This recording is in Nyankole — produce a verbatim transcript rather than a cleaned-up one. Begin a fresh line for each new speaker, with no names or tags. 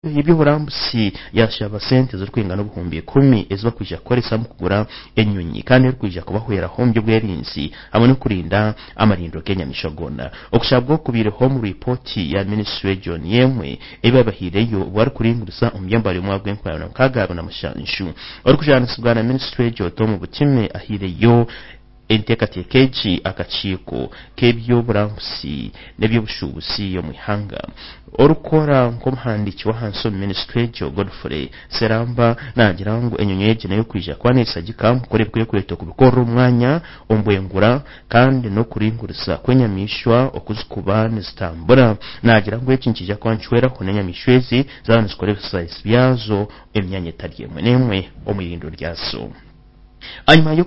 Y'eby'oburambuzi yashaba sente zirikwingana obuhumbi ikumi ezibakwija kukoresa mu kugura enyonyi, kandi erikwija kubahweraho omu by'obwerinzi hamwe n'okurinda amarindiro g'enyamaishwa goona. Okushabwa okubaireho omu ripooti ya minisitule egyo niyo emwe ei babahiireyo obu barikuringuriza omu byambari omwaka gw'enkumi abiri na mukaaga abiri na mushanju. Orikujaanisibwa na minisitule egyo, Tom Butime, ahaireyo enteekateeka egi akakiiko k'eby'oburambuzi n'eby'obushuubuzi omu ihanga. Orikukora nk'omuhandiiki w'ahansi omu minisitule egyo, Godfrey Seramba, naagira ngu enyonyi egi n'ey'okwija kuba neeshagika omu kukora ebikwekweto kubikorera omu mwanya omu bwengura kandi n'okuringuriza kw'enyamaishwa oku zikuba nizitambura. Naagira ngu eki nikiija kuba nikihweraho n'enyamaishwa ezi zaaba nizikora ebisaasi byazo emyanya etari emwe n'emwe omu irindiro ryazo. Ahanyuma.